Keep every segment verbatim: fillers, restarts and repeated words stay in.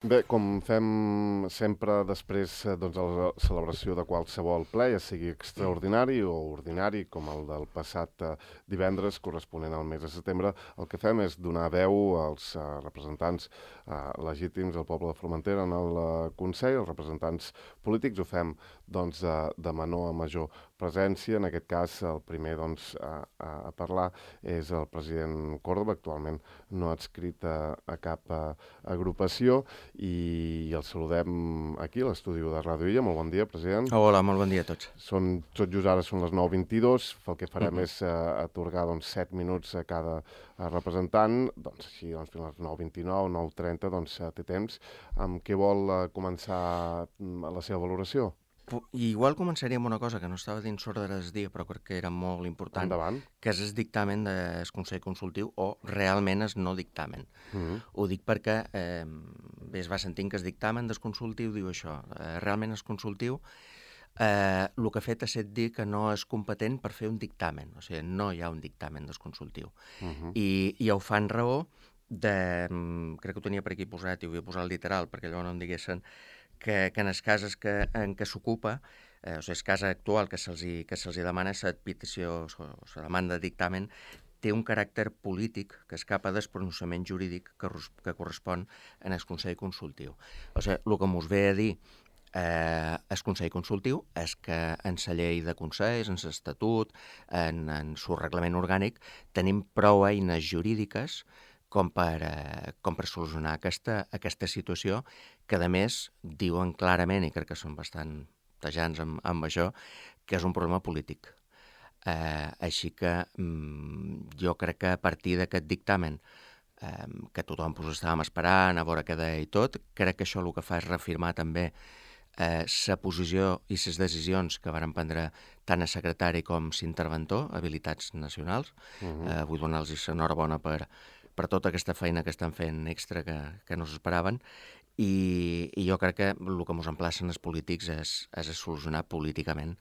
Bé, com fem sempre després eh, doncs, de la celebració de qualsevol ple, ja sigui extraordinari o ordinari, com el del passat eh, divendres corresponent al mes de setembre, el que fem és donar veu als eh, representants eh, legítims del poble de Formentera en el eh, Consell, els representants polítics. Ho fem doncs, de, de menor a major presència. En aquest cas, el primer doncs, a, a, a parlar és el president Córdoba, actualment no adscrit a, a cap a, agrupació, i el saludem aquí, a l'estudi de Ràdio Illa. Molt bon dia, president. Hola, molt bon dia a tots. Són, tot just ara són les nou vint-i-dos. El que farem Mhm. és uh, atorgar doncs, set minuts a cada uh, representant. Doncs així, doncs, fins a les nou vint-i-nou, nou trenta, doncs uh, té temps. Amb què vol uh, començar mm, la seva valoració? Pu- Igual començaria amb una cosa que no estava dins l'ordre del dia, però crec que era molt important, Endavant. que és el dictamen del Consell Consultiu, o realment és no dictamen. Mm -hmm. Ho dic perquè eh, bé, es va sentint que el dictamen del consultiu diu això. Eh, realment el consultiu eh, el que ha fet ha estat dir que no és competent per fer un dictamen. O sigui, no hi ha un dictamen del consultiu. Mm -hmm. I, I ho fan raó de... Crec que ho tenia per aquí posat i ho havia posat literal perquè allò no em diguessin que, que en els casos que, en què s'ocupa, eh, o sigui, el cas actual que se'ls que se'ls demana la petició, la demanda de dictamen, té un caràcter polític que escapa del pronunciament jurídic que, que correspon en el Consell Consultiu. O sigui, el que mos ve a dir eh, el Consell Consultiu és que en la llei de consells, en l'Estatut, en, en el reglament orgànic, tenim prou eines jurídiques com per, eh, com per solucionar aquesta, aquesta situació, que a més diuen clarament, i crec que són bastant tajants amb, amb això, que és un problema polític. Eh, així que mm, jo crec que a partir d'aquest dictamen, eh, que tothom pues, estàvem esperant, a veure què deia i tot, crec que això el que fa és reafirmar també la eh, posició i les decisions que varen prendre tant el secretari com l'interventor, habilitats nacionals. Mm -hmm. eh, vull donar-los l'enhorabona per per tota aquesta feina que estan fent extra que, que no s'esperaven, i, i jo crec que el que ens emplacen els polítics és, és a solucionar políticament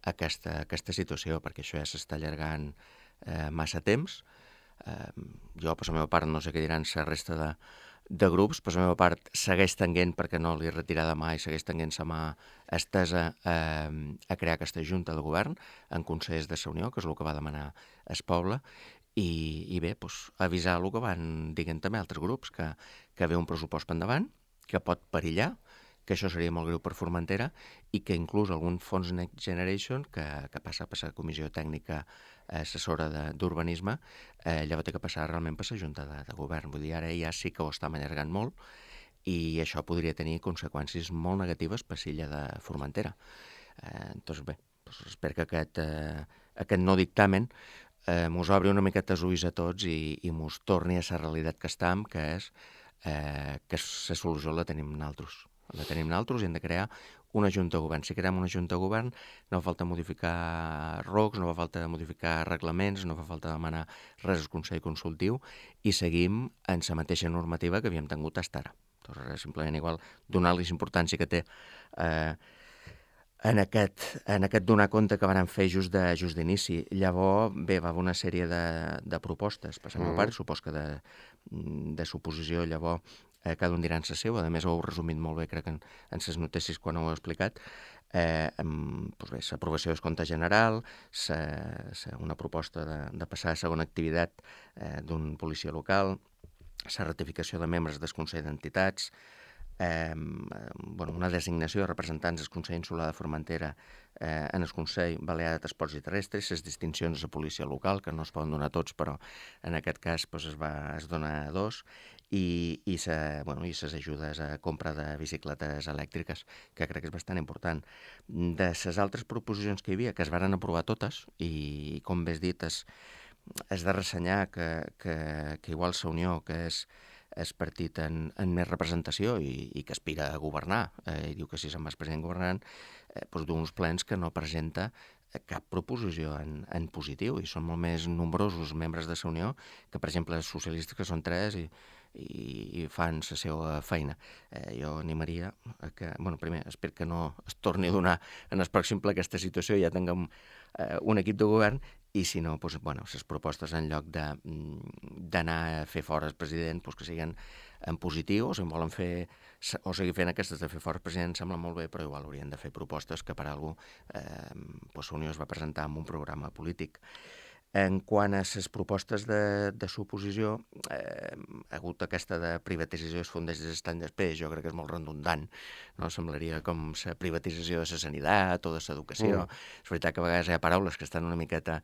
aquesta, aquesta situació, perquè això ja s'està allargant eh, massa temps. Eh, jo, per la meva part, no sé què diran la resta de, de grups, per la meva part, segueix tenint, perquè no li he retirat mai, segueix tenint la mà estesa eh, a crear aquesta junta de govern en consells de la Unió, que és el que va demanar el poble. I, i bé, doncs, avisar el que van dient també altres grups, que, que ve un pressupost per endavant, que pot perillar, que això seria molt greu per Formentera, i que inclús algun fons Next Generation, que, que passa per la Comissió Tècnica Assessora d'Urbanisme, eh, llavors té que passar realment per la Junta de, de Govern. Vull dir, ara ja sí que ho estem allargant molt, i això podria tenir conseqüències molt negatives per l'illa de Formentera. Eh, doncs bé, doncs espero que aquest, eh, aquest no dictamen eh, mos obri una miqueta els ulls a tots i, i mos torni a la realitat que estem, que és eh, que la solució la tenim nosaltres. La tenim nosaltres i hem de crear una junta de govern. Si creem una junta de govern, no fa falta modificar R O Cs, no fa falta modificar reglaments, no fa falta demanar res al Consell Consultiu, i seguim en la mateixa normativa que havíem tingut fins ara. Doncs simplement igual donar-li importància que té eh, en aquest, en aquest donar compte que van fer just de just d'inici. Llavors, bé, va haver una sèrie de, de propostes, per la meva part, supos que de, de suposició, llavors, eh, cada un dirà en la seva. A més, ho heu resumit molt bé, crec, en, en les notícies quan ho heu explicat. Eh, amb, doncs bé, l'aprovació del compte general, sa, sa, una proposta de, de passar a segona activitat eh, d'un policia local, la ratificació de membres del Consell d'Entitats, Eh, bueno, una designació de representants del Consell Insular de Formentera eh, en el Consell Balear de Transports i Terrestres, les distincions de la policia local, que no es poden donar tots, però en aquest cas pues, es, va, es dona a dos, i, i, sa, bueno, i ses ajudes a compra de bicicletes elèctriques, que crec que és bastant important. De les altres proposicions que hi havia, que es varen aprovar totes, i com bé has dit, és, és de ressenyar que, que, que igual la Unió, que és és partit en, en més representació i, i que aspira a governar, eh, i diu que si se'n va el president governant, eh, doncs d'uns plens que no presenta cap proposició en, en positiu, i són molt més nombrosos membres de la Unió que, per exemple, els socialistes, que són tres i, i, i fan la seva feina. Eh, jo animaria a que, bueno, primer, espero que no es torni a donar en el pròxim ple aquesta situació, ja tinguem eh, un equip de govern, i si no, doncs, bueno, les propostes en lloc d'anar a fer fora el president, doncs, que siguin en positiu, o si en volen fer o sigui, fent aquestes de fer fort president sembla molt bé, però igual haurien de fer propostes que per alguna cosa eh, doncs Unió es va presentar amb un programa polític. En quant a les propostes de, de suposició, eh, ha hagut aquesta de privatització dels fons des d'any després, jo crec que és molt redundant, no? Semblaria com la privatització de la sanitat o de l'educació. Mm. És veritat que a vegades hi ha paraules que estan una miqueta,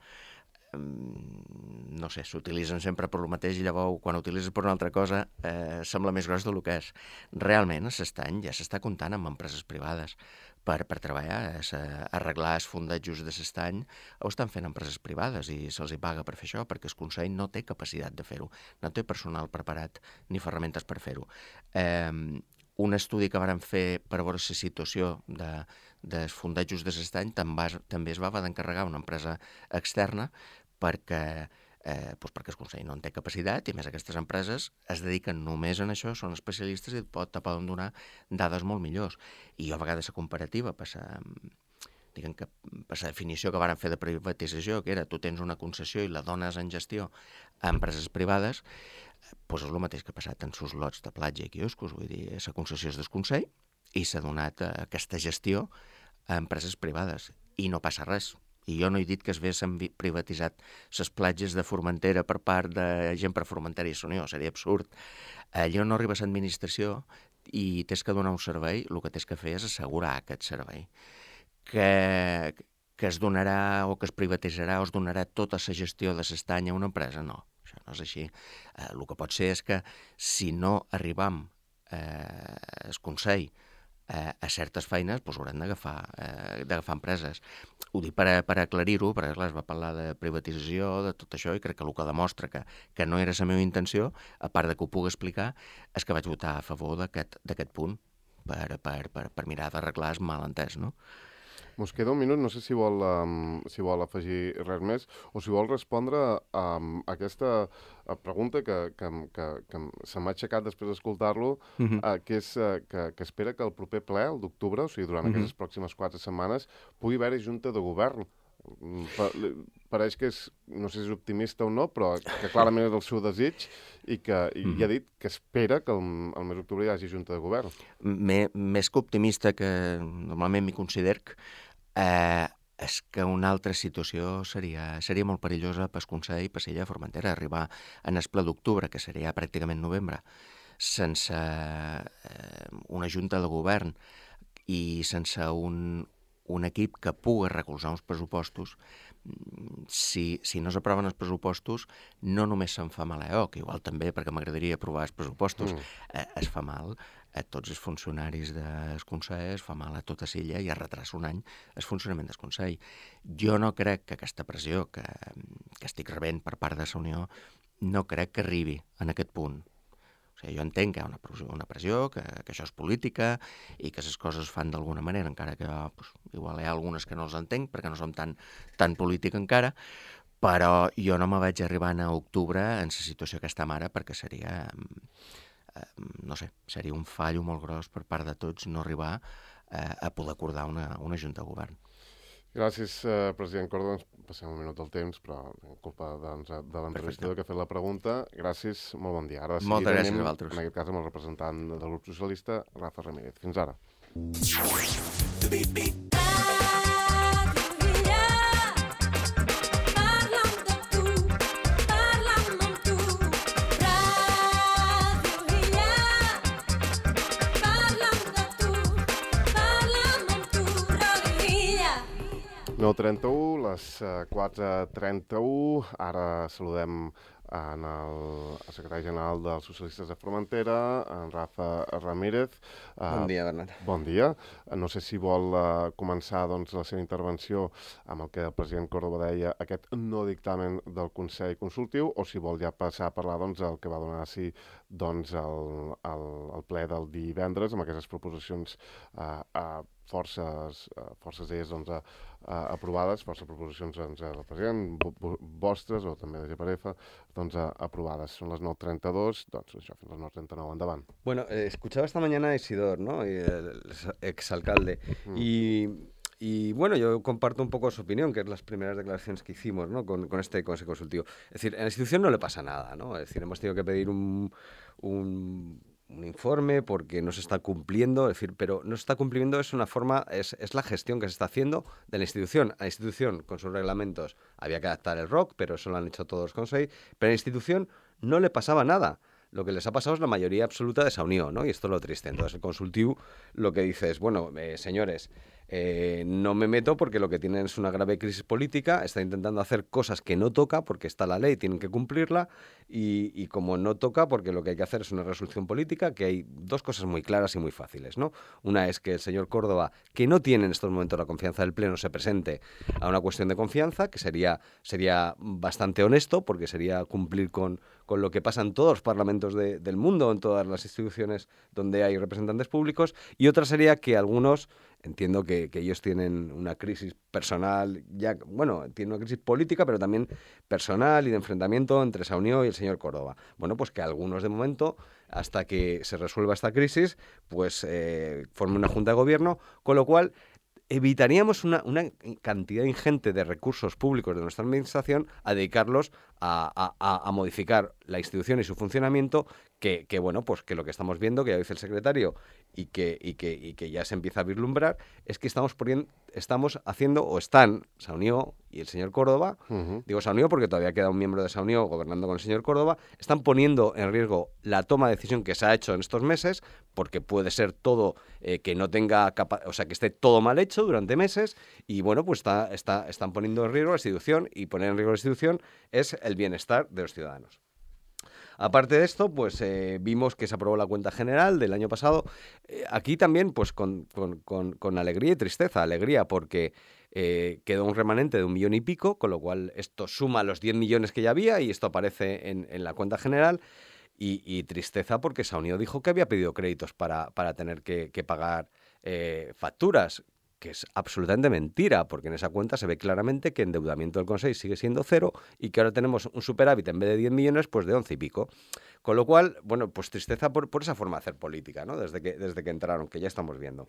no sé, s'utilitzen sempre per lo mateix i llavors quan utilitzes per una altra cosa eh, sembla més gros del que és. Realment a l'estany ja s'està comptant amb empreses privades per, per treballar, a arreglar els fondatjos de l'estany, ho estan fent empreses privades i se'ls hi paga per fer això, perquè el Consell no té capacitat de fer-ho, no té personal preparat ni ferramentes per fer-ho. Eh, un estudi que varen fer per veure la situació de, dels fondatjos de l'estany també es va haver d'encarregar una empresa externa perquè, eh, doncs perquè el Consell no en té capacitat i a més aquestes empreses es dediquen només en això, són especialistes i pot, te poden donar dades molt millors. I jo a vegades la comparativa per la, diguem que per la definició que varen fer de privatització, que era tu tens una concessió i la dones en gestió a empreses privades, doncs és el mateix que ha passat en sus lots de platja i quioscos, vull dir, la concessió és del Consell i s'ha donat aquesta gestió a empreses privades i no passa res. I jo no he dit que es haguessin privatitzat les platges de Formentera per part de gent per Formentera i Unió, seria absurd. Allò no arriba a l'administració i tens que donar un servei, el que tens que fer és assegurar aquest servei. Que, que es donarà o que es privatitzarà o es donarà tota la gestió de l'estany a una empresa, no. Això no és així. Eh, el que pot ser és que si no arribam eh, al Consell eh, a certes feines, doncs haurem d'agafar eh, d'agafar empreses. Ho dic per, a, per aclarir-ho, perquè clar, es va parlar de privatització, de tot això, i crec que el que demostra que, que no era la meva intenció, a part de que ho pugui explicar, és que vaig votar a favor d'aquest punt per, per, per, per mirar d'arreglar el malentès, no? Mos queda un minut, no sé si vol, um, si vol afegir res més o si vol respondre um, a aquesta pregunta que, que, que, que se m'ha aixecat després d'escoltar-lo, uh -huh. uh, que és uh, que, que espera que el proper ple, el d'octubre, o sigui, durant uh -huh. aquestes pròximes quatre setmanes, pugui haver-hi junta de govern. Pa, pareix que és, no sé si és optimista o no, però que clarament és el seu desig i que i uh -huh. ja ha dit que espera que el, el mes d'octubre hi hagi junta de govern. M més que optimista, que normalment m'hi considero, Eh, és que una altra situació seria, seria molt perillosa pel Consell i per l'illa de Formentera, arribar en el ple d'octubre, que seria pràcticament novembre, sense eh, una junta de govern i sense un, un equip que pugui recolzar uns pressupostos. Si, si no s'aproven els pressupostos, no només se'n fa mal a E O, que igual també, perquè m'agradaria aprovar els pressupostos, mm. eh, es fa mal a tots els funcionaris del Consell, es fa mal a tota l'illa i es retrasa un any el funcionament del Consell. Jo no crec que aquesta pressió que, que estic rebent per part de la Unió, no crec que arribi en aquest punt. O sigui, jo entenc que hi ha una pressió, una pressió que, que això és política i que les coses es fan d'alguna manera, encara que pues, igual hi ha algunes que no els entenc perquè no som tan, tan política encara, però jo no me vaig arribar a octubre en la situació que estem ara perquè seria... no sé, seria un fallo molt gros per part de tots no arribar eh, a poder acordar una, una junta de govern. Gràcies, eh, president Córdoba. Ens passem un minut del temps, però en culpa doncs, de l'entrevistador que ha fet la pregunta. Gràcies, molt bon dia. Ara Moltes gràcies a vosaltres. En aquest cas amb el representant del grup socialista, Rafa Ramírez. Fins ara. nou trenta-u, les quatre trenta-u. Ara saludem en el secretari general dels Socialistes de Formentera, en Rafa Ramírez. Bon dia, Bernat. Bon dia. No sé si vol uh, començar doncs, la seva intervenció amb el que el president Córdoba deia, aquest no dictamen del Consell Consultiu, o si vol ja passar a parlar doncs, el que va donar sí, doncs, el, el, el ple del divendres, amb aquestes proposicions uh, uh, forces, uh, forces d'elles doncs, uh, uh, aprovades, forces proposicions doncs, del president, vostres o també de G P R F, doncs, uh, aprovades. Són les nou trenta-dos, doncs això, fins les nou trenta-nou, endavant. Bueno, eh, escuchaba esta mañana a Isidor, ¿no? El exalcalde. Mm. Y, y bueno, yo comparto un poco su opinión, que es las primeras declaraciones que hicimos, ¿no? con, con este Consejo Consultivo. Es decir, en la institución no le pasa nada, ¿no? Es decir, hemos tenido que pedir un... un un informe, porque no se está cumpliendo, es decir, pero no se está cumpliendo es una forma, es, es la gestión que se está haciendo de la institución. A la institución, con sus reglamentos, había que adaptar el R O C, pero eso lo han hecho todos los consejos, pero a la institución no le pasaba nada. Lo que les ha pasado es la mayoría absoluta de esa unión, ¿no? Y esto es lo triste. Entonces, el consultivo lo que dice es, bueno, eh, señores, eh, no me meto porque lo que tienen es una grave crisis política, está intentando hacer cosas que no toca porque está la ley, tienen que cumplirla, y, y como no toca porque lo que hay que hacer es una resolución política, que hay dos cosas muy claras y muy fáciles, ¿no? Una es que el señor Córdoba, que no tiene en estos momentos la confianza del Pleno, se presente a una cuestión de confianza, que sería, sería bastante honesto, porque sería cumplir con, con lo que pasa en todos los parlamentos de, del mundo, en todas las instituciones donde hay representantes públicos, y otra sería que algunos, entiendo que, que ellos tienen una crisis personal, ya bueno, tienen una crisis política, pero también personal y de enfrentamiento entre Saunió y el señor Córdoba. Bueno, pues que algunos de momento, hasta que se resuelva esta crisis, pues eh, formen una junta de gobierno, con lo cual evitaríamos una, una cantidad ingente de recursos públicos de nuestra administración a dedicarlos a, a, a modificar la institución y su funcionamiento, que, que bueno, pues que lo que estamos viendo, que ya dice el secretario, y que, y, que, y que ya se empieza a vislumbrar, es que estamos poniendo, estamos haciendo, o están Saunió y el señor Córdoba, uh-huh. digo Saunió porque todavía queda un miembro de Saunió gobernando con el señor Córdoba, están poniendo en riesgo la toma de decisión que se ha hecho en estos meses, porque puede ser todo eh, que no tenga capa- o sea, que esté todo mal hecho durante meses, y bueno, pues está, está, están poniendo en riesgo la institución, y poner en riesgo la institución es el bienestar de los ciudadanos. Aparte de esto, pues eh, vimos que se aprobó la cuenta general del año pasado. Eh, aquí también, pues con, con, con, con alegría y tristeza. Alegría porque eh, quedó un remanente de un millón y pico, con lo cual esto suma los diez millones que ya había y esto aparece en, en la cuenta general. Y, y tristeza porque Saunió dijo que había pedido créditos para, para tener que, que pagar eh, facturas, que es absolutamente mentira, porque en esa cuenta se ve claramente que endeudamiento del Consejo sigue siendo cero y que ahora tenemos un superávit en vez de diez millones, pues de once y pico. Con lo cual, bueno, pues tristeza por, por esa forma de hacer política, ¿no? Desde que, desde que entraron, que ya estamos viendo.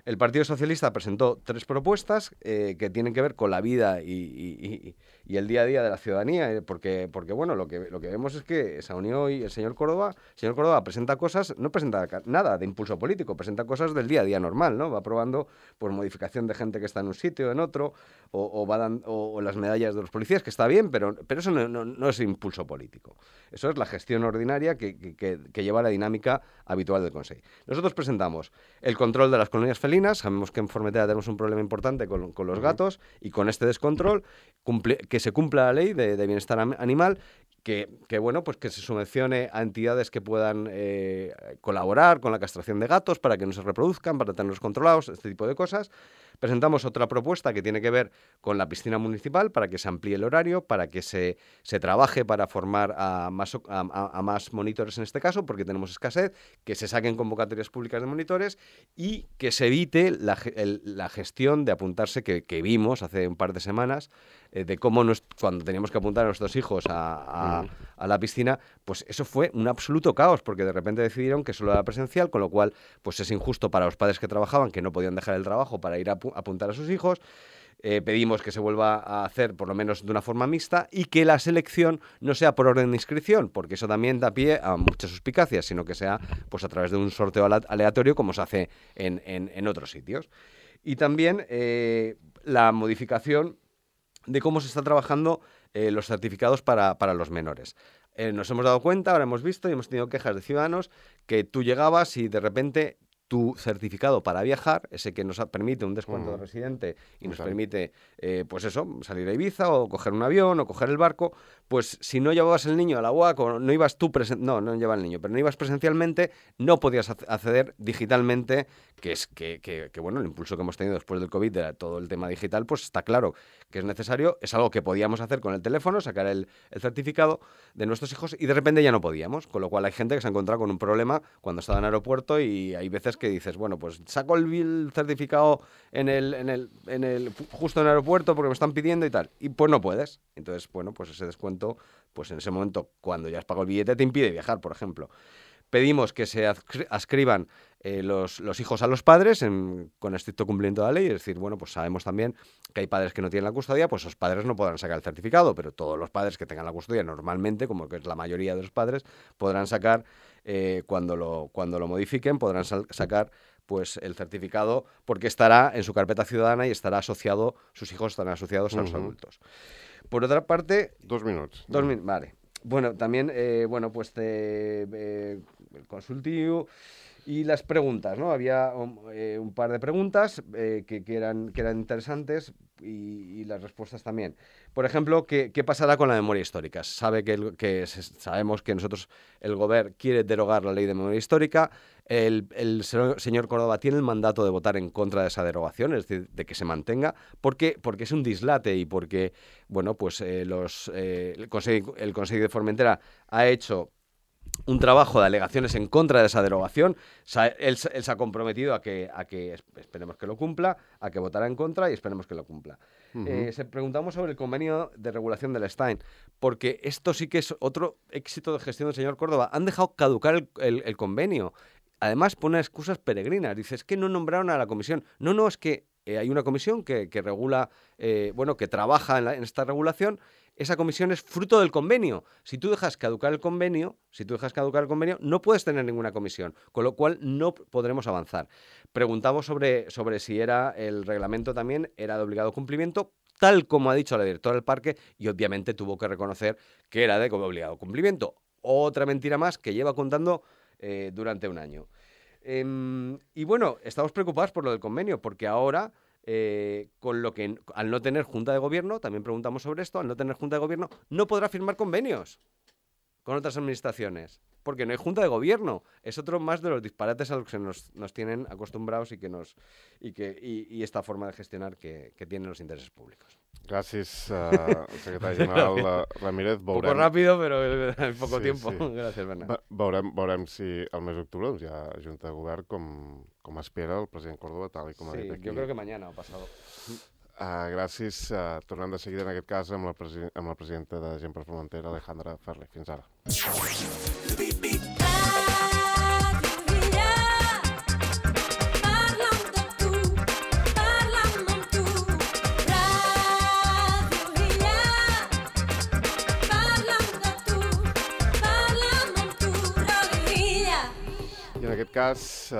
El Partido Socialista presentó tres propuestas eh, que tienen que ver con la vida y, y, y, y el día a día de la ciudadanía, eh, porque, porque bueno, lo que, lo que vemos es que Saunió y el señor Córdoba, el señor Córdoba presenta cosas, no presenta nada de impulso político, presenta cosas del día a día normal, ¿no? Va aprobando pues modificación de gente que está en un sitio, en otro, o, o, va dan, o, o las medallas de los policías, que está bien, pero, pero eso no, no, no es impulso político. Eso es la gestión ordinaria que, que, que, que lleva la dinámica habitual del Consejo. Nosotros presentamos el control de las colonias felinas. Sabemos que en Formentera tenemos un problema importante con, con los gatos, y con este descontrol, cumple, que se cumpla la ley de, de bienestar animal, que, que, bueno, pues que se subvencione a entidades que puedan eh, colaborar con la castración de gatos para que no se reproduzcan, para tenerlos controlados, este tipo de cosas. Presentamos otra propuesta que tiene que ver con la piscina municipal, para que se amplíe el horario, para que se, se trabaje para formar a más, a, a más monitores en este caso, porque tenemos escasez, que se saquen convocatorias públicas de monitores y que se evite la, el, la gestión de apuntarse que, que vimos hace un par de semanas, eh, de cómo nos, cuando teníamos que apuntar a nuestros hijos a, a, a la piscina, pues eso fue un absoluto caos, porque de repente decidieron que solo era presencial, con lo cual pues es injusto para los padres que trabajaban, que no podían dejar el trabajo para ir a apuntar a sus hijos. Eh, pedimos que se vuelva a hacer por lo menos de una forma mixta y que la selección no sea por orden de inscripción, porque eso también da pie a muchas suspicacias, sino que sea pues a través de un sorteo aleatorio, como se hace en, en, en otros sitios. Y también eh, la modificación de cómo se está trabajando eh, los certificados para, para los menores. Eh, nos hemos dado cuenta, ahora hemos visto y hemos tenido quejas de ciudadanos que tú llegabas y de repente tu certificado para viajar, ese que nos permite un descuento uh-huh. de residente y nos permite, eh, pues eso, salir a Ibiza o coger un avión o coger el barco, pues si no llevabas el niño a la U A C o no ibas tú, presen- no, no llevaba el niño, pero no ibas presencialmente, no podías acceder digitalmente, que es que, que, que bueno, el impulso que hemos tenido después del COVID de todo el tema digital, pues está claro que es necesario, es algo que podíamos hacer con el teléfono, sacar el, el certificado de nuestros hijos y de repente ya no podíamos, con lo cual hay gente que se ha encontrado con un problema cuando estaba en aeropuerto y hay veces que dices, bueno, pues saco el, el certificado en el, en el, en el, justo en el aeropuerto porque me están pidiendo y tal, y pues no puedes. Entonces, bueno, pues ese descuento, pues en ese momento, cuando ya has pagado el billete, te impide viajar, por ejemplo. Pedimos que se adscriban eh, los, los hijos a los padres en, con estricto cumplimiento de la ley. Es decir, bueno, pues sabemos también que hay padres que no tienen la custodia, pues esos padres no podrán sacar el certificado, pero todos los padres que tengan la custodia normalmente, como que es la mayoría de los padres, podrán sacar, eh, cuando, lo, cuando lo modifiquen, podrán sal- sacar pues el certificado porque estará en su carpeta ciudadana y estará asociado, sus hijos estarán asociados a los Ujú. adultos. Por otra parte... Dos minuts. Dos min- vale. Bueno, también, eh, bueno, pues te, eh, el consultivo y las preguntas, ¿no? Había um, eh, un par de preguntas eh, que, que, eran, que eran interesantes y, y las respuestas también. Por ejemplo, ¿qué, qué pasará con la memoria histórica? Sabe que, el, que se- sabemos que nosotros, el Gobierno quiere derogar la ley de memoria histórica. El, el se- señor Córdoba tiene el mandato de votar en contra de esa derogación, es decir, de que se mantenga, porque, porque es un dislate y porque, bueno, pues eh, los, eh, el, Consejo, el Consejo de Formentera ha hecho un trabajo de alegaciones en contra de esa derogación. Sa- Él, se- él se ha comprometido a que, a que es- esperemos que lo cumpla, a que votará en contra y esperemos que lo cumpla. Ujú. Eh, se preguntamos sobre el convenio de regulación del Stein, porque esto sí que es otro éxito de gestión del señor Córdoba. Han dejado caducar el, el- el convenio. Además, pone excusas peregrinas. Dice, es que no nombraron a la comisión. No, no, es que eh, hay una comisión que, que regula, eh, bueno, que trabaja en, la- en esta regulación. Esa comisión es fruto del convenio. Si tú dejas caducar el convenio, si tú dejas caducar el convenio, no puedes tener ninguna comisión, con lo cual no p- podremos avanzar. Preguntamos sobre, sobre si era el reglamento también era de obligado cumplimiento, tal como ha dicho la directora del parque, y obviamente tuvo que reconocer que era de obligado cumplimiento. Otra mentira más que lleva contando eh, durante un año. Em, y bueno, estamos preocupados por lo del convenio, porque ahora, eh, con lo que al no tener junta de gobierno, también preguntamos sobre esto, al no tener junta de gobierno, no podrá firmar convenios con otras administraciones, porque no hay junta de gobierno. Es otro más de los disparates a los que nos, nos tienen acostumbrados y que nos y que y, y esta forma de gestionar que, que tienen los intereses públicos. Gràcies, uh, secretari general uh, Ramírez. Un poco Veurem, rápido, pero en poco Sí, tiempo. sí. Gracias, Bernat. ve- veurem, veurem si al mes d'octubre doncs, hi ha Junta de Govern com, com espera el president Córdoba, tal i com ha Sí, dit aquí. yo creo que mañana o pasado. Uh, gràcies. Uh, tornem de seguida, en aquest cas, amb la, presi amb la presidenta de Gent per Formentera, Alejandra Ferrer. Fins ara. I en aquest cas, eh,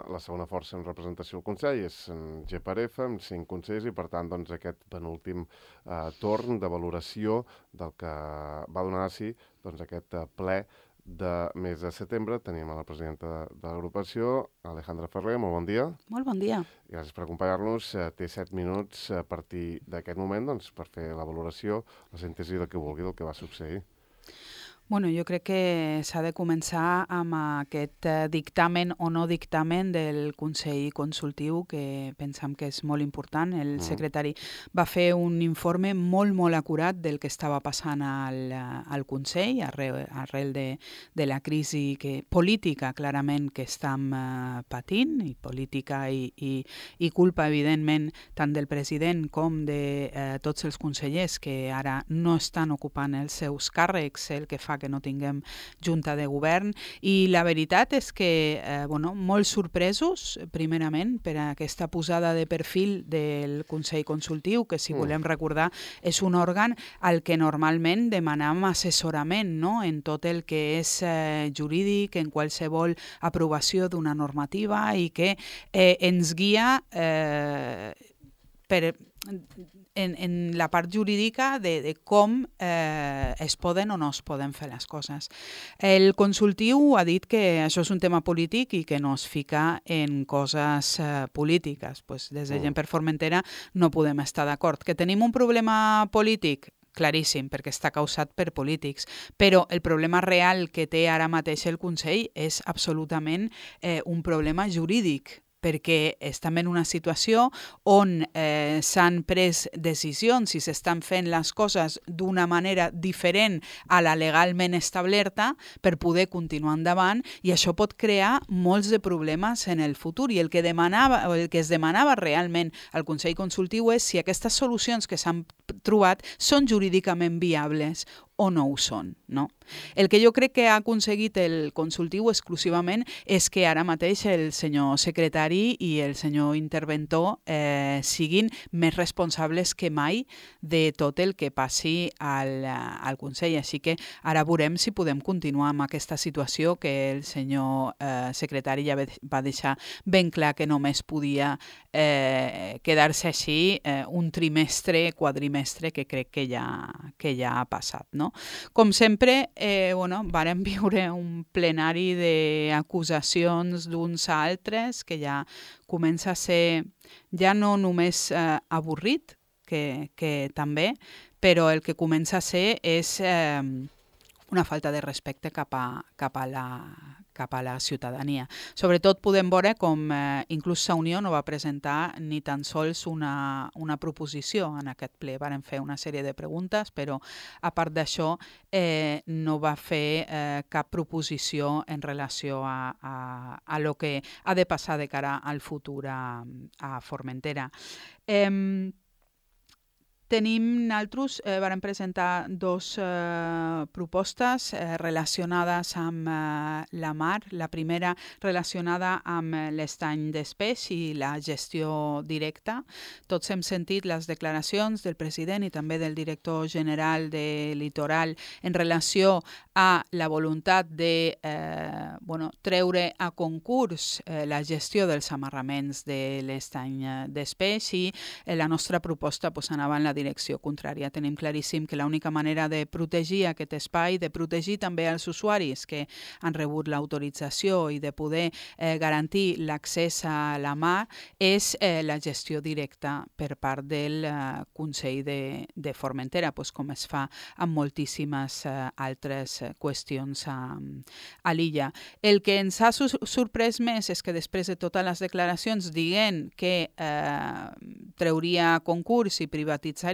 la segona força en representació al Consell és en G per F, amb cinc consells, i per tant doncs, aquest penúltim eh, torn de valoració del que va donar a si doncs, aquest eh, ple de mes de setembre. Tenim a la presidenta de, de l'agrupació, Alejandra Ferrer. Molt bon dia. Molt bon dia. Gràcies per acompanyar-nos. Eh, té set minuts a partir d'aquest moment doncs, per fer la valoració, la síntesi del que vulgui del que va succeir. Bueno, jo crec que s'ha de començar amb aquest eh, dictamen o no dictamen del Consell Consultiu, que pensam que és molt important. El Mm. secretari va fer un informe molt, molt acurat del que estava passant al, al Consell arrel, arrel de, de la crisi que, política, clarament, que estem eh, patint, i política i, i, i culpa, evidentment, tant del president com de eh, tots els consellers que ara no estan ocupant els seus càrrecs, el que fa que no tinguem junta de govern. I la veritat és que, eh, bueno, molt sorpresos, primerament, per aquesta posada de perfil del Consell Consultiu, que, si Mm. volem recordar, és un òrgan al que normalment demanam assessorament, no?, en tot el que és eh, jurídic, en qualsevol aprovació d'una normativa, i que eh, ens guia eh, per en, en la part jurídica de, de com eh, es poden o no es poden fer les coses. El consultiu ha dit que això és un tema polític i que no es fica en coses eh, polítiques. Pues des de Mm. Gent per Formentera no podem estar d'acord. Que tenim un problema polític? Claríssim, perquè està causat per polítics. Però el problema real que té ara mateix el Consell és absolutament eh, un problema jurídic, perquè estem en una situació on eh, s'han pres decisions i s'estan fent les coses d'una manera diferent a la legalment establerta per poder continuar endavant, i això pot crear molts de problemes en el futur. I el que demanava, o el que es demanava realment al Consell Consultiu és si aquestes solucions que s'han trobat són jurídicament viables o no ho són, no? El que jo crec que ha aconseguit el consultiu exclusivament és que ara mateix el senyor secretari i el senyor interventor eh, siguin més responsables que mai de tot el que passi al, al Consell. Així que ara veurem si podem continuar amb aquesta situació que el senyor eh, secretari ja va deixar ben clar que només podia eh, quedar-se així eh, un trimestre, quadrimestre, que crec que ja, que ja ha passat. No? Com sempre, eh, bueno, vàrem viure un plenari d'acusacions d'uns a altres que ja comença a ser ja no només eh, avorrit, que, que també, però el que comença a ser és eh, una falta de respecte cap a, cap a la cap a la ciutadania. Sobretot podem veure com eh, inclús la Unió no va presentar ni tan sols una, una proposició en aquest ple. Varen fer una sèrie de preguntes, però a part d'això eh, no va fer eh, cap proposició en relació a, a, a lo que ha de passar de cara al futur a, a Formentera. Eh, Tenim, nosaltres, eh, vam presentar dues eh, propostes eh, relacionades amb eh, la mar. La primera relacionada amb l'estany d'Espeix i la gestió directa. Tots hem sentit les declaracions del president i també del director general de Litoral en relació a la voluntat de eh, bueno, treure a concurs eh, la gestió dels amarraments de l'estany d'Espeix i eh, la nostra proposta pues, anava en la direcció contrària. Tenim claríssim que l'única manera de protegir aquest espai, de protegir també els usuaris que han rebut l'autorització i de poder eh, garantir l'accés a la mar és eh, la gestió directa per part del eh, Consell de, de Formentera, pues, com es fa amb moltíssimes eh, altres qüestions a, a l'illa. El que ens ha sorprès més és que després de totes les declaracions dient que eh, treuria concurs i privatitzaria,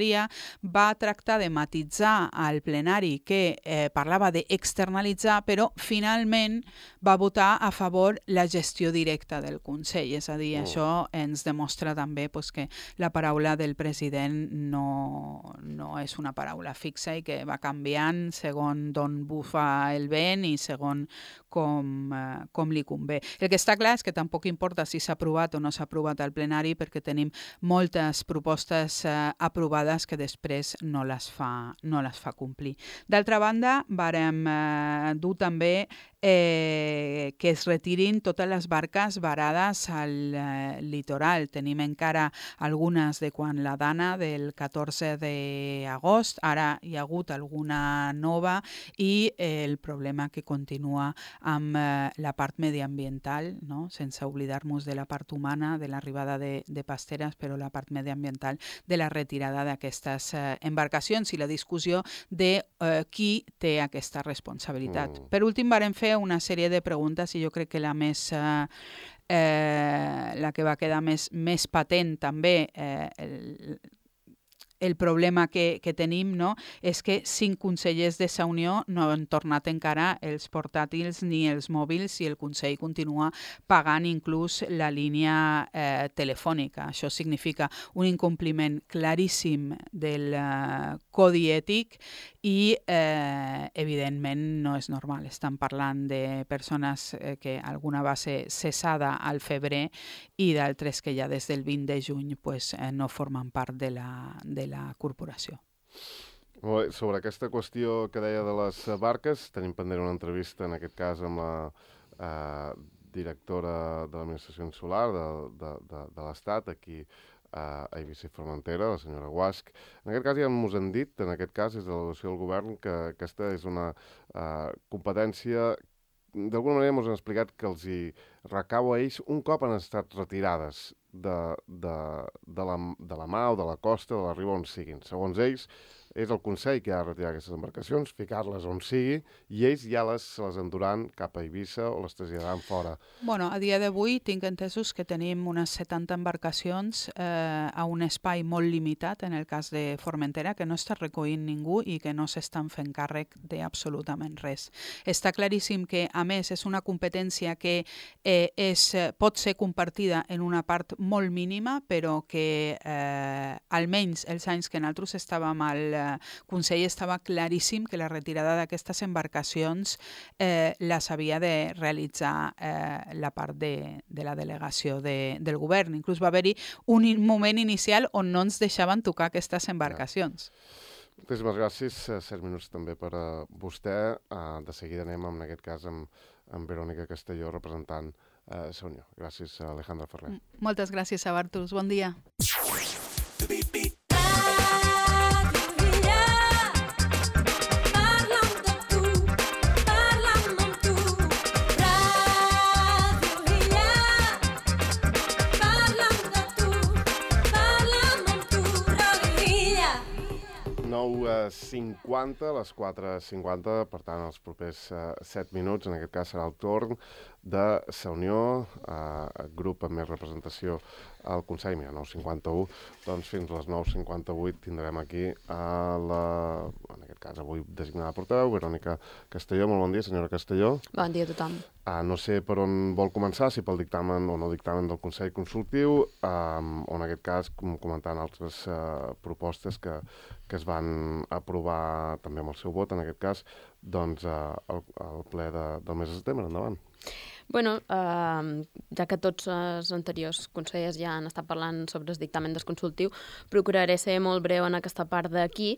va tractar de matitzar al plenari que eh, parlava d'externalitzar, però finalment va votar a favor la gestió directa del Consell. És a dir, oh. això ens demostra també pues, que la paraula del president no, no és una paraula fixa i que va canviant segons d'on bufa el vent i segons com, eh, com li convé. El que està clar és que tampoc importa si s'ha aprovat o no s'ha aprovat al plenari perquè tenim moltes propostes eh, aprovades que després no les fa, no les fa complir. D'altra banda, vàrem eh, dur també eh, que es retirin totes les barques varades al eh, litoral. Tenim encara algunes de quan la Dana del catorze d'agost, ara hi ha hagut alguna nova i eh, el problema que continua amb eh, la part mediambiental, no? Sense oblidar-nos de la part humana, de l'arribada de, de pasteres, però la part mediambiental de la retirada d'aquestes eh, embarcacions i la discussió de eh, qui té aquesta responsabilitat. Mm. Per últim, vàrem fer una sèrie de preguntes i jo crec que la més eh, eh, la que va quedar més, més patent també eh, el, el problema que, que tenim no, és que cinc consellers de la Unió no han tornat encara els portàtils ni els mòbils i el Consell continua pagant inclús la línia eh, telefònica. Això significa un incompliment claríssim del eh, codi ètic i eh, evidentment no és normal. Estan parlant de persones eh, que alguna va ser cessada al febrer i d'altres que ja des del vint de juny pues, eh, no formen part de la, de la corporació. Bé, sobre aquesta qüestió que deia de les barques, tenim pendent una entrevista, en aquest cas, amb la eh, directora de l'Administració Insular de, de, de, de l'Estat, aquí a Eivissa i Formentera, la senyora Guasch. En aquest cas ja ens han dit, en aquest cas és de l'avaluació del govern, que aquesta és una uh, competència, d'alguna manera ens han explicat que els hi recau a ells un cop han estat retirades de, de, de, la, de la mà o de la costa, de la riba on siguin. Segons ells, és el Consell que ha de retirar aquestes embarcacions, ficar-les on sigui, i ells ja les, se les enduran cap a Eivissa o les traslladaran fora. Bueno, a dia d'avui tinc entesos que tenim unes setanta embarcacions eh, a un espai molt limitat, en el cas de Formentera, que no està recollint ningú i que no s'estan fent càrrec d'absolutament res. Està claríssim que, a més, és una competència que eh, és, pot ser compartida en una part molt mínima, però que eh, almenys els anys que nosaltres estàvem al eh, Consell estava claríssim que la retirada d'aquestes embarcacions eh, les havia de realitzar eh, la part de, de la delegació de, del govern. Inclús va haver-hi un moment inicial on no ens deixaven tocar aquestes embarcacions. Moltíssimes gràcies. Set minuts també per a vostè. Uh, de seguida anem, en aquest cas, amb, amb Verònica Castelló, representant uh, Sa Unió. Gràcies, Alejandra Ferrer. Moltes gràcies, Bartus. Bon dia. nou cinquanta, les quatre cinquanta, per tant, els propers uh, set minuts, en aquest cas serà el torn de Sa Unió, uh, grup amb més representació al Consell, mira, nou cinquanta-u, doncs fins a les nou cinquanta-vuit tindrem aquí a la, en aquest cas avui designada portaveu, Verònica Castelló. Molt bon dia, senyora Castelló. Bon dia a tothom. Uh, no sé per on vol començar, si pel dictamen o no dictamen del Consell Consultiu, um, o en aquest cas comentant altres uh, propostes que, que es van aprovar també amb el seu vot, en aquest cas, doncs uh, el, el ple de, del mes de setembre. Endavant. Bueno, eh, ja que tots els anteriors consellers ja han estat parlant sobre el dictamen del consultiu, procuraré ser molt breu en aquesta part d'aquí.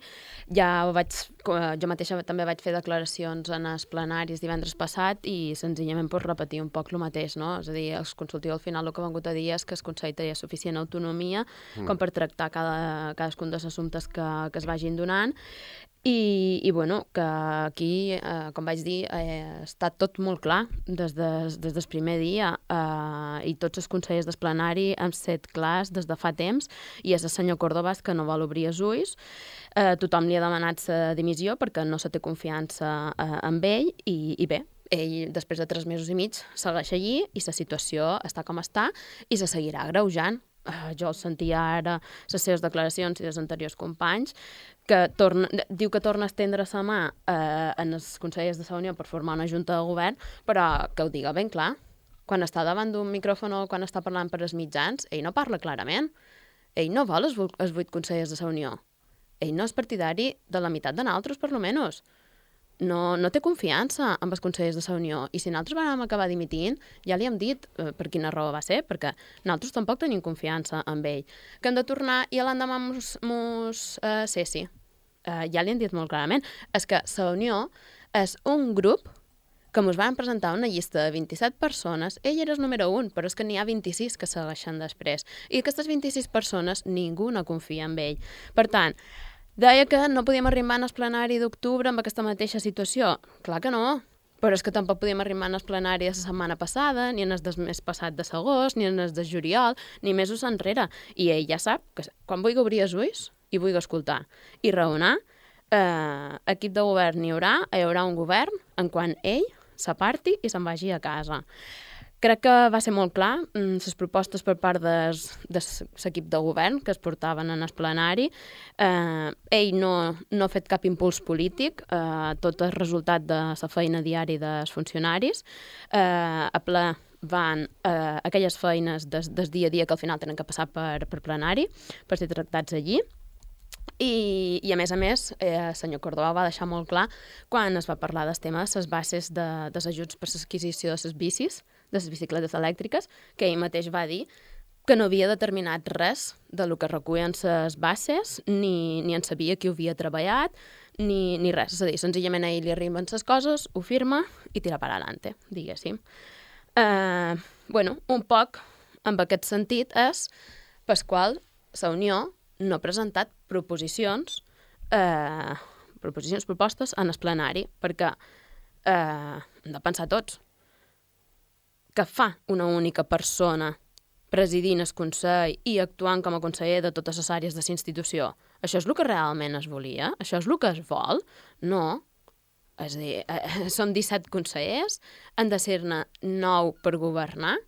Ja ho vaig, jo mateixa també vaig fer declaracions en els plenaris divendres passat i senzillament per repetir un poc el mateix, no? És a dir, el consultiu al final el que ha vengut a dir és que el Consell tenia suficient autonomia mm. com per tractar cada, cadascun dels assumptes que, que es vagin donant. I, i bueno, que aquí, eh, com vaig dir, eh, està tot molt clar des, de, des del primer dia eh, i tots els consellers del plenari han set clars des de fa temps i és el senyor Córdoba que no vol obrir els ulls. Eh, tothom li ha demanat la dimissió perquè no se té confiança eh, amb ell i, i bé, ell després de tres mesos i mig segueix allí i la situació està com està i se seguirà agreujant. Uh, jo el sentia ara, les seves declaracions i dels anteriors companys, que torna, diu que torna a estendre sa mà uh, en els consellers de Sa Unió per formar una junta de govern, però que ho diga ben clar. Quan està davant d'un micròfon o quan està parlant per als mitjans, ell no parla clarament. Ell no vol els, els vuit consellers de Sa Unió. Ell no és partidari de la meitat de nosaltres, per lo menos. No, no té confiança amb els consellers de Sa Unió. I si nosaltres vam acabar dimitint, ja li hem dit eh, per quina raó va ser, perquè nosaltres tampoc tenim confiança amb ell. Que hem de tornar i l'endemà mos, mos eh, cessi. Eh, ja li hem dit molt clarament. És que Sa Unió és un grup que ens van presentar una llista de vint-i-set persones. Ell era el número un, però és que n'hi ha vint-i-sis que segueixen després. I aquestes vint-i-sis persones ningú no confia en ell. Per tant, deia que no podíem arribar al plenari d'octubre amb aquesta mateixa situació. Clar que no, però és que tampoc podíem arribar al plenari de la setmana passada, ni en el del mes passat de l'agost, ni en el de juliol, ni mesos enrere. I ell ja sap que quan vulgui obrir els ulls i vulgui escoltar i raonar, eh, equip de govern n'hi haurà, hi haurà un govern en quan ell s'aparti i se'n vagi a casa. Crec que va ser molt clar les propostes per part de l'equip de govern que es portaven en el plenari. Eh, ell no, no ha fet cap impuls polític, eh, tot el resultat de la feina diària dels funcionaris. Eh, a ple van eh, aquelles feines des, des dia a dia que al final tenen que passar per, per plenari, per ser tractats allí. I, i a més a més, eh, el senyor Córdoba va deixar molt clar quan es va parlar del tema de les bases de, dels ajuts per l'adquisició de les bicis, de les bicicletes elèctriques, que ell mateix va dir que no havia determinat res de lo que recullen les bases, ni, ni en sabia qui ho havia treballat, ni, ni res. És a dir, senzillament a ell li arriben les coses, ho firma i tira per adelante, diguéssim. Eh, bueno, un poc en aquest sentit és per qual Sa Unió no ha presentat proposicions, eh, proposicions, propostes en el plenari, perquè eh, hem de pensar tots. Que fa una única persona presidint el Consell i actuant com a conseller de totes les àrees de la institució? Això és el que realment es volia? Això és el que es vol? No. És a dir, eh, som disset consellers, han de ser-ne nou per governar.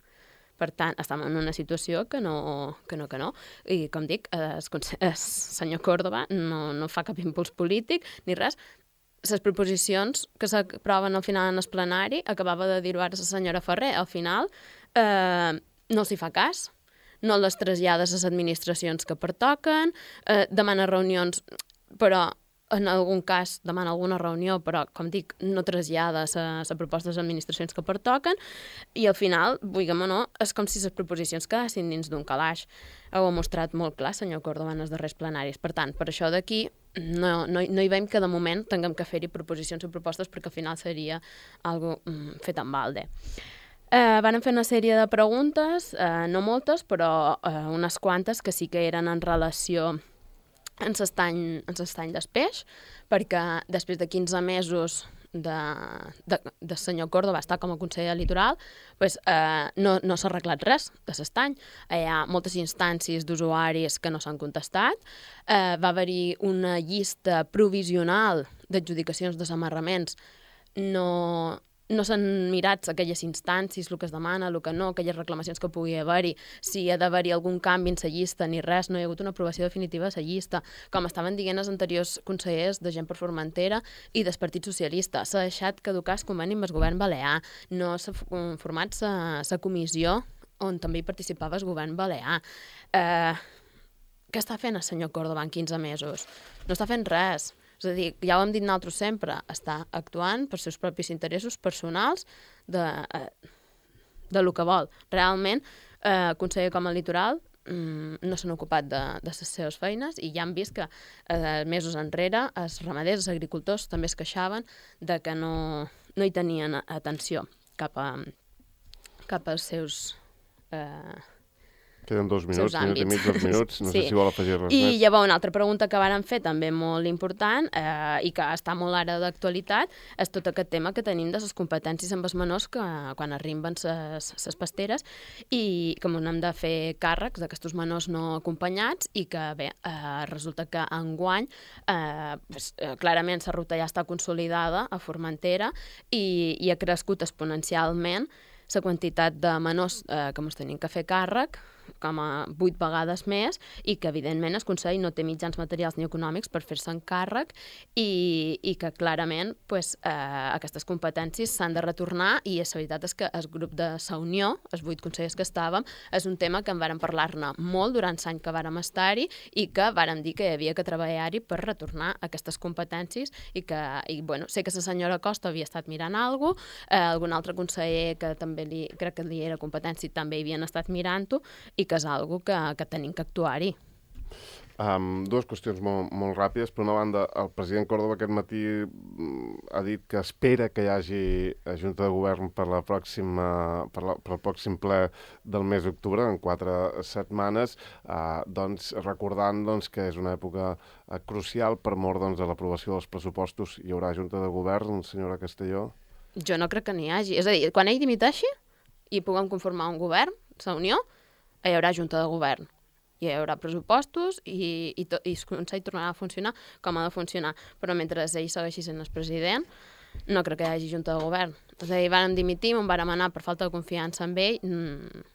Per tant, estem en una situació que no, que no, que no. I, com dic, el, el senyor Córdoba no, no fa cap impuls polític ni res. Les proposicions que s'aproven al final en el plenari, acabava de dir-ho ara la senyora Ferrer, al final eh, no s'hi fa cas, no les trasllada a les administracions que pertoquen, eh, demana reunions, però en algun cas demana alguna reunió, però, com dic, no trasllada la proposta de les administracions que pertoquen, i al final, vulguem o no, és com si les proposicions quedassin dins d'un calaix. Ho ha mostrat molt clar, senyor Córdoba, en els darrers plenaris. Per tant, per això d'aquí no, no, no hi veiem que de moment tinguem que fer-hi proposicions o propostes, perquè al final seria algo mm, fet en balde. Eh, van fer una sèrie de preguntes, eh, no moltes, però eh, unes quantes que sí que eren en relació en l'estany d'Espeix, perquè després de quinze mesos de, de, de senyor Córdoba estar com a conseller litoral, pues, eh, no, no s'ha arreglat res de l'estany. Hi ha moltes instàncies d'usuaris que no s'han contestat. Eh, va haver-hi una llista provisional d'adjudicacions de desamarraments. No, no s'han mirat aquelles instàncies, el que es demana, el que no, aquelles reclamacions que pugui haver-hi, si ha d'haver-hi algun canvi en la llista, ni res, no hi ha hagut una aprovació definitiva de la llista. Com estaven dient els anteriors consellers de Gent per Formentera i del Partit Socialista, s'ha deixat caducar el conveni amb el govern balear, no s'ha format la comissió on també hi participava el govern balear. Eh, què està fent el senyor Córdoba en quinze mesos? No està fent res. És a dir, ja ho hem dit nosaltres sempre, està actuant per seus propis interessos personals de, eh, de lo que vol. Realment, eh, conseller com a litoral mm, no s'han ocupat de, de les seves feines i ja han vist que eh, mesos enrere els ramaders, els agricultors també es queixaven de que no, no hi tenien atenció cap, a, cap als seus... Eh, Queden dos minuts, minut i mig, dos minuts, no sí. sé si vol afegir res I més. I llavors una altra pregunta que varen fer també molt important eh, i que està molt ara d'actualitat és tot aquest tema que tenim de les competències amb els menors que quan arriben les pasteres i que ens hem de fer càrrecs d'aquests menors no acompanyats i que bé, eh, resulta que enguany eh, pues, eh, clarament la ruta ja està consolidada a Formentera i, i ha crescut exponencialment la quantitat de menors eh, que ens tenim que fer càrrec, com a vuit vegades més, i que, evidentment, el Consell no té mitjans materials ni econòmics per fer-se'n càrrec i, i que, clarament, pues, eh, aquestes competències s'han de retornar i la veritat és que el grup de la Unió, els vuit consellers que estàvem, és un tema que en vàrem parlar-ne molt durant l'any que vàrem estar-hi i que vàrem dir que hi havia que treballar-hi per retornar aquestes competències i que, i, bueno, sé que la senyora Costa havia estat mirant alguna cosa, eh, algun altre conseller que també li, crec que li era competència també hi havien estat mirant-ho i que és algo que, que tenim que actuar-hi. Um, dues qüestions molt, molt ràpides. Per una banda, el president Córdoba aquest matí ha dit que espera que hi hagi Junta de Govern per, la pròxima, per, la, per el pròxim ple del mes d'octubre, en quatre setmanes, uh, doncs, recordant doncs, que és una època uh, crucial per mort doncs, de l'aprovació dels pressupostos. Hi haurà Junta de Govern, senyora Castelló? Jo no crec que n'hi hagi. És a dir, quan ell dimiteixi i puguem conformar un govern, la Unió, hi haurà Junta de Govern, hi haurà pressupostos i, i, to, i el Consell tornarà a funcionar com ha de funcionar. Però mentre ell segueixi sent el president, no crec que hi hagi Junta de Govern. És a dir, vàrem dimitir, on vàrem anar per falta de confiança en ell. Mm.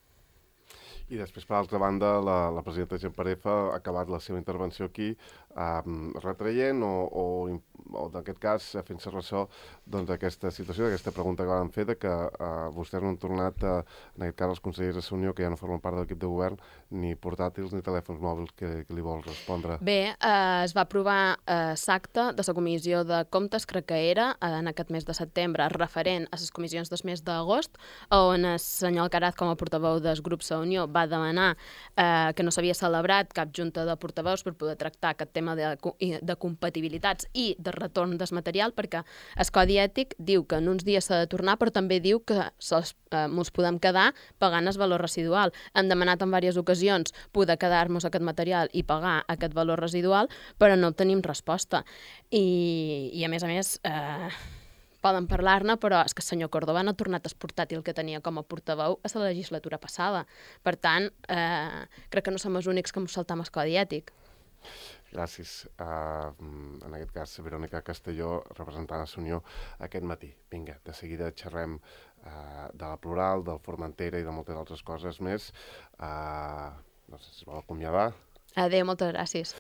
I després, per altra banda, la, la presidenta Gent Pareja ha acabat la seva intervenció aquí um, retraient o, o, o en aquest cas, fent-se ressò doncs, d'aquesta situació, d'aquesta pregunta que van fer, de que uh, vostès no han tornat, uh, en aquest cas els consellers de la Unió, que ja no formen part de l'equip de govern, ni portàtils ni telèfons mòbils que, que li vol respondre. Bé, eh, es va aprovar eh, l'acte de la Comissió de Comptes, crec que era, eh, en aquest mes de setembre, referent a les comissions del mes d'agost, on el senyor Alcaraz, com a portaveu del grup La Unió, va demanar eh, que no s'havia celebrat cap junta de portaveus per poder tractar aquest tema de, de compatibilitats i de retorn del material, perquè el Codi Ètic diu que en uns dies s'ha de tornar, però també diu que ens eh, podem quedar pagant el valor residual. Hem demanat en diverses ocasions poder quedar-nos aquest material i pagar aquest valor residual, però no tenim resposta. I, i a més a més... Eh, poden parlar-ne, però és que el senyor Córdoba no ha tornat el portàtil que tenia com a portaveu a la legislatura passada. Per tant, eh, crec que no som els únics que ens saltam el Codi Ètic. Gràcies. Uh, en aquest cas, Verònica Castelló, representant a la Unió, aquest matí. Vinga, de seguida xerrem uh, de la Plural, del Formentera i de moltes altres coses més. Uh, no sé si es vol acomiadar. Adéu, moltes gràcies.